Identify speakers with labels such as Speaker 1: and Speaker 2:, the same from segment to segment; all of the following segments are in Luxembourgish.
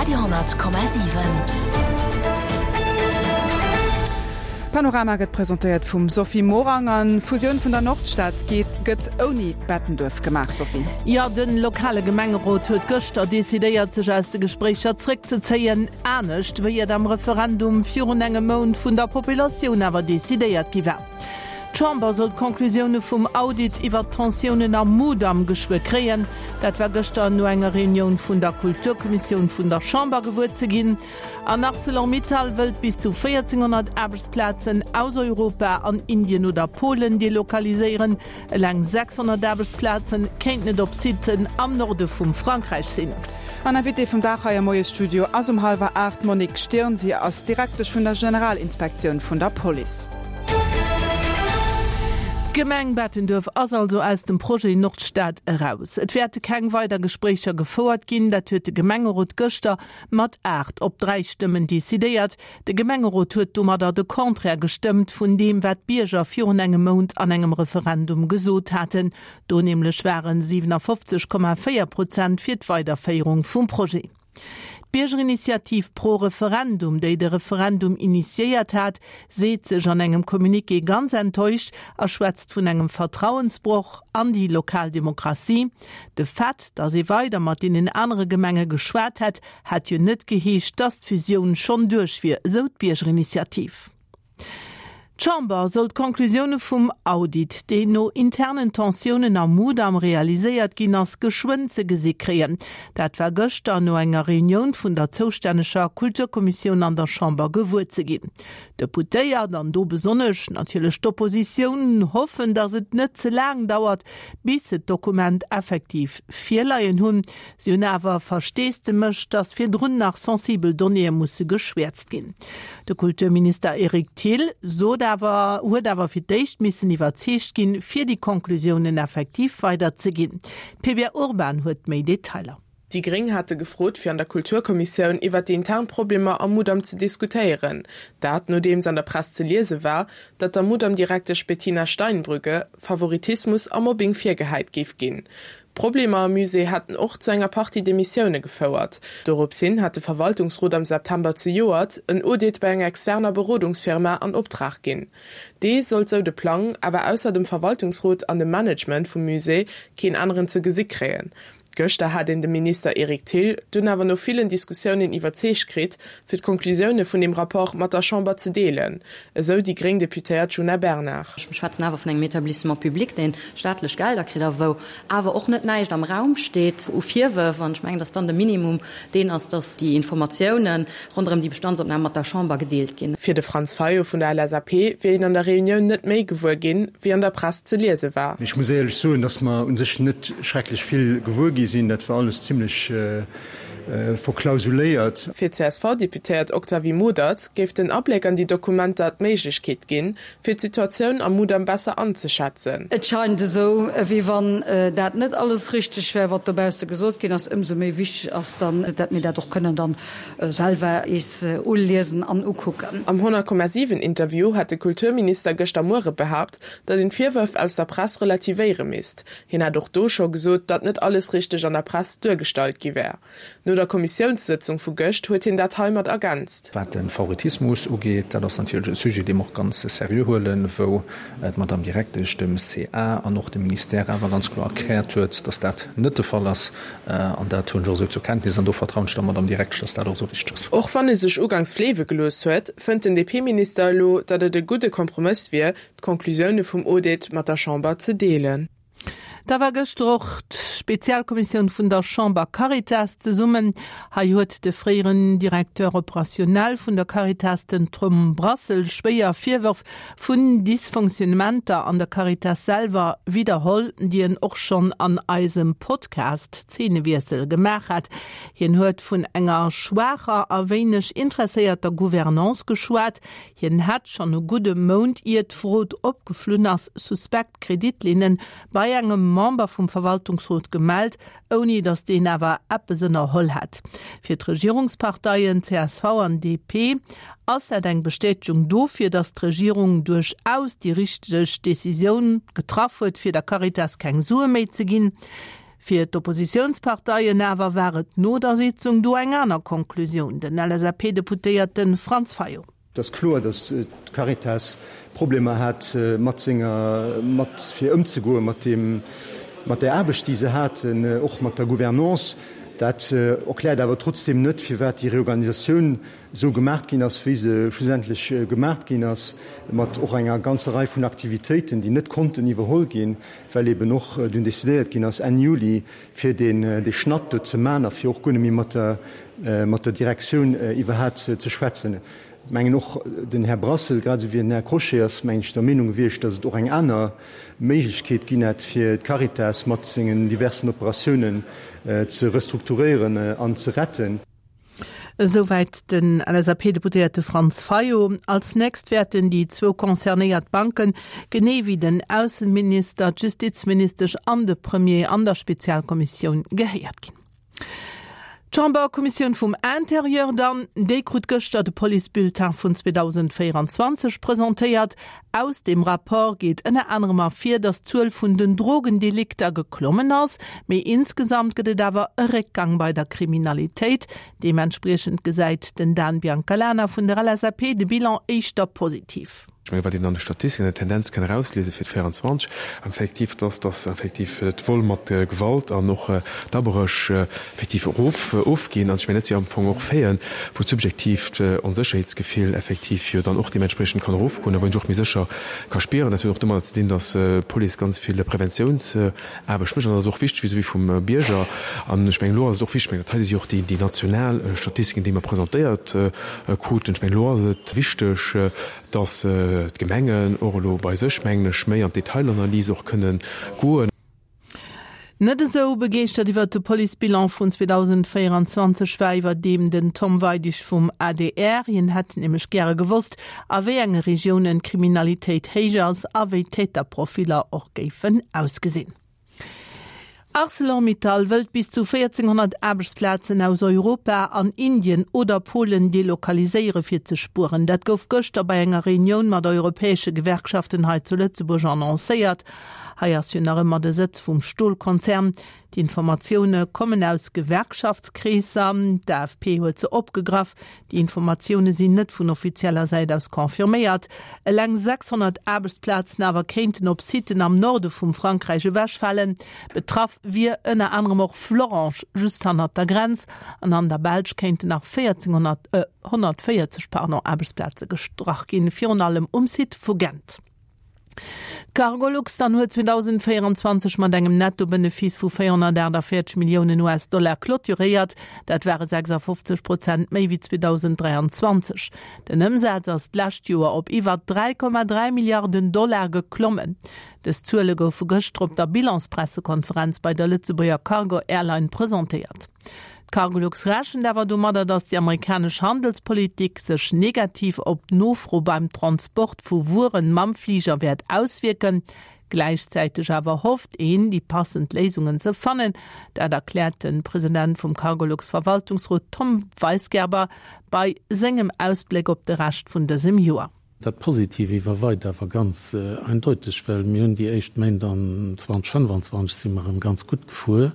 Speaker 1: Radio 10,7.
Speaker 2: Panorama gëtt presentéiert vum Sophie Morang an d'Fusioun vun der Nordstad geet gëtt ouni Bettenduerf gemaach. Sophie.
Speaker 3: Jo, de lokale Gemengerot huet gëschter decidéiert, sech aus de Gespréicher zréckzezéien, anescht wéi et am Referendum virun engem Mount vun der Populatioun awer decidéiert gi war. D'Chamber soll d'Conclusioune vum Audit iwwert d'Tensiounen am Mudam geschwë kréien. Dat war gëschter no enger Reunioun vun der Kulturkommissioun vun der Chamber gewuer ze ginn. An Arcelor-Mittal wëllt bis zu 1.400 Aarbechtsplazen aus Europa an Indien oder Polen delokaliséieren. Eleng 600 Aarbechtsplazen kéinten et op Siten am Norde vum Frankräich sinn.
Speaker 2: An Invitée vum Dag hei am Moiesstudio ass um hallwer 8 d'Monique Stirn. Si ass Direktesch vun der Generalinspektioun vun der Police.
Speaker 3: D'Gemeng Bettenduerf ass also aus dem Projet Nordstad eraus. Et wäerte keng weider Gespréicher gefouert ginn. Dat huet de Gemengerot gëschter mat 8 op 3 Stëmmen decidéiert. De Gemengerot huet domadder de Contraire gestëmmt vun deem, wat d'Bierger virun engem Mount an engem Referendum gesot haten. Do nämlech waren 57,4 Prozent fir d'Weiderféierung vum Projet. D'Biergerinitiativ Pro Referendum, déi de Referendum initiéiert hat, seet sech an engem Communiqué ganz enttäuscht a schwätzt vun engem Vertrauensbroch an déi lokal Demokratie. De Fait, datt ee weider mat deenen anere Gemenge geschwat hätt, hätt jo net geheescht, datt d'Fusioun schonn duerch wier, esou d'Biergerinitiativ. D'Chamber soll d'Conclusioune vum Audit, deen no internen Tensiounen am Mudam realiséiert ginn ass, geschwënn ze gesi kréien. Dat war gëschter no enger Reunioun vun der zoustänneger Kulturkommissioun an der Chamber gewuer ze ginn. D'Deputéiert, an do besonnesch natierlech d'Oppositioun, hoffen, datt et net ze laang dauert, bis se d'Dokument effektiv virleien hunn. Si hunn awer Versteesdemech, datt virdrun nach sensibel Donnéeë musse geschwäerzt ginn. De Kulturminister Eric Thill sot awer, huet awer fir d'éischt missen iwwerzeegt ginn, fir déi Conclusiounen effektiv weiderzeginn. D'Pevia Urban huet méi Detailer.
Speaker 4: Déi Gréng hate gefrot, fir an der Kulturkommissioun iwwer déi intern Problemer am Mudam ze diskutéieren. Dat, nodeems an der Press ze liese war, datt der Mudam-Direktesch Bettina Steinbrügge Favoritismus a Mobbing virgehäit géif ginn. D'Problemer am Musée hätten och zu enger Partie Demissioune gefouert. Dorops hin hat de Verwaltungsrot am September zejoert en Audit bei enger externer Berodungsfirma an Optrag ginn. Dee sollt, sou de Plang, awer ausser dem Verwaltungsrot an dem Management vum Musée keen aneren ze gesi kréien. Gëschter hat een de Minister Eric Thill dunn awer no villen Diskussiounen iwwerzeegt kritt, fir d'Konklusioune vun deem Rapport mat der Chamber ze deelen, esou déi gréng Deputéiert Djuna Bernard.
Speaker 5: Mir schwätzen awer vun engem Établissement public, dee staatlech Gelder kritt a wou awer och net näischt am Raum steet u Virwërf. An ech mengen, datt dann de Minimum deen ass, datt déi Informatiounen ronderëm déi Bestandsopnam mat der Chamber gedeelt ginn.
Speaker 4: Fir de Franz Fayot vun der LSAP wier een an der Reunioun net méi gewuer ginn, wéi an der Press ze liese war.
Speaker 6: Ech muss éierlech soen, dass mer u sech net schrecklech vill gewuer gi sinn. Dat war alles zimlech verklausuléiert.
Speaker 4: Fir d'CSV-Deputéiert Octavie Modert géif den Abléck an déi Dokumenter d'Méiglechkeet ginn, fir d'Situatioun am Mudam besser anzeschätzen.
Speaker 7: Et scheint esou, wéi wann dat net alles richteg wär, wat dobausse gesot ginn ass. Ëmsou méi wichteg ass dann, dat mir dat och kënnen dann selwer is uliesen an ukucken.
Speaker 4: Am 100,7 Interview hat de Kulturminister gëschter Muere behaapt, datt een d'Virwërf aus der Press relativéiere misst. Hien hat och do scho gesot, datt net alles richteg an der Press duergestallt gi wär. No der Kommissiounssëtzung vu gëscht huet hien dat heimat ergänzt.
Speaker 8: Wat de Favoritismus ugeet, dat ass natierlech e Sujet, dee mer och ganz seriö huelen, wou d'Madame Direktesch dem CA an och dem Ministère awer ganz kloer erkläert huet, dass dat net de Fall ass. An dat hunn ech och esou zur Kenntnis an do vertrauen ech der Madame Direktesch, dass dat och esou richteg ass.
Speaker 4: Och wann e sech ugangs fleewe gelooss huet, fënnt den DP-Minister elo, datt et e gudde Kompromëss wier, d'Conclusioune vum Audit mat der Chamber ze deelen.
Speaker 3: Da war gëschter och d'Spezialkommissioun vun der Chamber Caritas zesummen. Hei huet de fréieren Directeur opérationnel vun der Caritas, den Tom Brassel, schwéier Virwërf vun Dysfonctionnementer an der Caritas selwer widderholl, déi en och schonn an eisem Podcast Zeenewiessel gemaach hat. Hien huet vun enger schwaacher a wéineg interesséierter Gouvernance geschwat. Hien hätt schonn e gudde Mount ier d'Frod opgeflunn ass, suspekt Kreditlinne bei engem Member vum Verwaltungsrot gemellt, ouni datt deen awer eppes ënnerholl hätt. Fir d'Regierungsparteien csv an DP ass dat eng Bestätegung dofir, datt d'Regierung duerchaus déi richteg Decisioun getraff huet, fir der Caritas keng Sue méi ze ginn. Fir d'Oppositiounsparteien awer war et no der Sitzung do eng aner Konklusioun, den LSAP-Deputéierte Franz Fayot.
Speaker 6: Et ass kloer, datt d'Caritas Problemer hat mat senger, mat fir ëmzegoe mat deem, mat där Aarbecht, déi se haten, och mat der Gouvernance. Dat erkläert awer trotzdeem net, firwat déi Reorganisatioun esou gemaach ginn ass, wéi se schlussendlech gemaach ginn ass, mat och enger ganzer Rei vun Aktivitéiten, déi net konnten iwwerholl ginn, well eben och dunn decidéiert ginn ass Enn Juli, fir deen dee Schnatt do ze man a fir och guer net méi mat der mat der Direktioun iwwerhat ze schwätzen. Ech mengen och den Här Brassel, grad esou wéi den Här Crochet ass, mengen ech, der Meenung gewiescht, datt et och eng aner Méiglechkeet ginn hätt, fir d'Caritas mat sengen diversen Operatiounen ze restrukturéieren an ze retten.
Speaker 3: Esouwäit den LSAP-Deputéierte Franz Fayot. Als nächst wäerten déi zwou concernéiert Banken, genee wéi den Ausseminister, d'Justizministesch an de Premier an der Spezialkommissioun gehéiert ginn. D'Chamberkommissioun vum Interieur dann, déi krut gëschter de Policebulletin vun 2024 presentéiert. Aus deem Rapport geet ënner anerem ervir, datt d'Zuel vun den Drogendelikter geklommen ass, mee insgesamt gëtt et awer e Réckgang bei der Kriminalitéit. Deementspriechend gesäit den Dan Biancalana vun der LSAP de Bilan éischter positiv.
Speaker 9: Ech mengen, wat een an de Statistiken an der Tendenz kann erausliese fir 24 effektiv, dass dass effektiv d'Vol mat Gewalt an och d'Abréch effektiv erof ofginn. An ech mengen, dat si am Fong och Faiten, wou d'subjektiivt Onsécherheetsgefill effektiv jo dann och deementspriechend kann erofgoen a wou een sech och méi sécher ka spieren. Dat huet och domadder ze dinn, dass d'Police ganz vill Preventiounsaarbecht mécht. An dat ass och wichteg vis-à-vis vum Bierger. An ech mengen, elo ass et och wichteg, ech mengen, dat hei si jo och déi national Statistiken, déi mer presentéiert kruten. Ech mengen, elo ass et wichteg, dass d'Gemengen och elo bei sech, mengen ech, méi an d'Detailanalys och kënnen goen.
Speaker 3: Net esou begeeschtert iwwer de Policebilan vun 2024 war iwwerdeem den Tom Weidig vum adr. Hien hätt nämlech gäre gewosst, a wéi enge Regiounen d'Kriminalitéit héich ass a wéi d'Täterprofiller och géifen ausgesinn. Arcelor-Mittal wëllt bis zu 1.400 Aarbechtsplazen aus Europa an Indien oder Polen delokaliséiere fir ze spueren. Dat gouf gëschter bei enger Reunioun mat europäesche Gewerkschaften hei zu Lëtzebuerg annoncéiert. Hei ass jo nach ëmmer de Sëtz vum Stolkonzern. D'Informatioune kommen aus Gewerkschaftskreesser. D'AFP huet se opgegraff. Déi Informatioune sinn net vun offizieller Säit aus confirméiert. Eleng 600 Aarbechtsplazen awer kéinten op Siten am Norde vum Frankräich ewechfalen. Betraff wier ënner anerem och Florange, just hannert der Grenz. An an der Belsch kéinten nach 1400, 140, pardon, Aarbechtsplaze gestrach ginn, virun allem um Site vu Gent. D'Cargolux dann huet 2024 mat engem Nettobenefice vu 448 Milliounen US-Dollar clôturéiert. Dat ware 56 Prozent méi wéi 2023. Den Ëmsaz ass d'lescht Joer op iwwer 3,3 Milliarden Dollar geklommen. Dës Zuele goufe gëschter op der Bilanspressekonferenz bei der Lëtzebuerger Cargo Airline presentéiert. D'Cargolux rechent awer domadder, datt déi amerikanesch Handelspolitik sech negativ op d'Nofro beim Transport vu Wueren mam Fliger wäert auswierken. Gläichzäiteg awer hofft een, déi passend Léisungen ze fannen. Dat erkläert de President vum Cargolux-Verwaltungsrot Tom Weisgerber bei sengem Ausbléck op de Rescht vun dësem Joer.
Speaker 10: Dat Positiv iwwerweit awer ganz eindeuteg, well mir hunn déi éischt Méint an 2025 si mer erëm ganz gutt gefuer.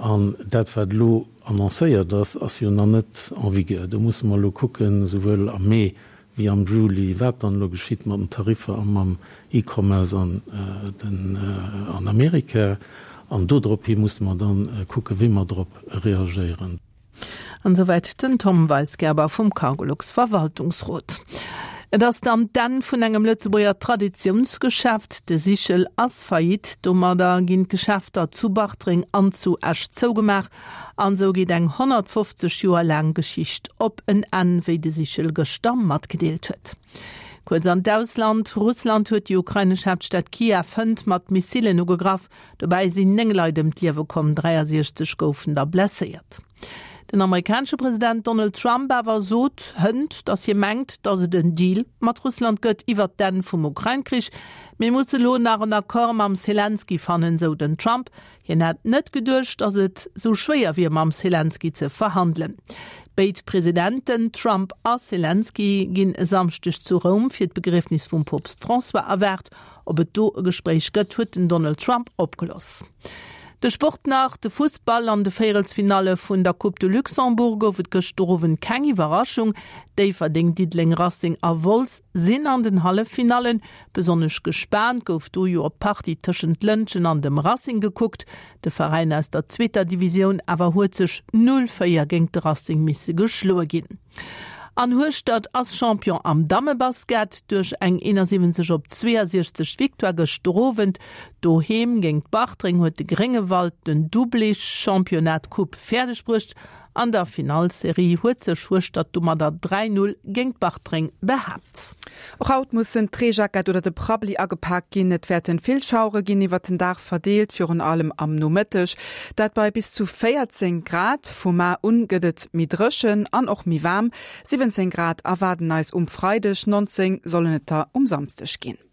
Speaker 10: An dat, wat elo annoncéiert ass, ass jo nach net en vigueur. Do musse mer elo kucken, esouwuel am Mee wéi am Juli, wat dann elo geschitt mat den Tariffer a mam E-Commerce an den an Amerika. An dodrophi musse mer dann kucken, wéi mer drop reagéieren.
Speaker 3: An esouwäit den Tom Weisgerber vum Cargolux Verwaltungsrot. Et ass dann d'Enn vun engem Lëtzebuerger Traditiounsgeschäft. De Sichel ass Faillite. Domadder ginn d'Geschäfter zu Bartreng an zu Esch zougemaach. An esou geet eng 150 Joer laang Geschicht op en Enn, wéi de Sichel gëschter matgedeelt huet. Kuerz an d'Ausland, Russland huet déi ukrainesch Haaptstad Kiew hënt mat Missilen ugegraff. Dobäi sinn 9 Leit ëm d'Liewe komm, 63 goufen der blesséiert. Den amerikanesche President Donald Trump awer sot hënt, datt hie mengt, datt et en Deal mat Russland gëtt iwwert d'Enn vum Ukrain-Krich. Mir musse lo nach en Accord mam Selenskyj fannen, sou den Trump. Hien hätt net geduecht, datt et sou schwéier wier mam Selenskyj ze verhandelen. Béid Presidenten, Trump a Selenskyj, ginn e Samschdeg zu Roum fir d'Begriefnis vum Poopst François erwaart. Ob et do e Gespréich gëtt, huet den Donald Trump opgeloss. De Sport nach, De Fussball, An de Véierelsfinalle vun der Coupe de Luxembourg gouf et gëschter Owend keng Iwwerraschung. Déifferdeng, Diddeleng, Racing a Wolz sinn an den Halleffinallen. Besonnesch gespaant gouf do jo op d'Partie tëschent Lëntgen an dem Racing gekuckt. De Veräin aus der zweeter Divisioun awer huet sech 0, 4 géint de Racing misse geschloe ginn. An Hueschtert ass Champion am Dammebasket duerch eng 71 op 62 Victoire gëschter Owend. Doheem géint Bartreng huet de Gréngewald den Doublé Championnat Coupe fäerdeg bruecht. An der Finallserie huet sech Hueschtert domadder 3, 0 géint Bartreng behaapt.
Speaker 2: Och haut mussen d'Reejackett oder de Prabbeli agepak ginn. Et wäerten vill Schauere ginn, iwwert den Dag verdeelt, virun allem am Nomëtteg. Dat bei bis zu 14 Grad. Vu mar un gëtt et méi dréchen an och méi waarm. 17 Grad erwaarden eis um Freideg, 19 sollen et der um Samsdeg ginn.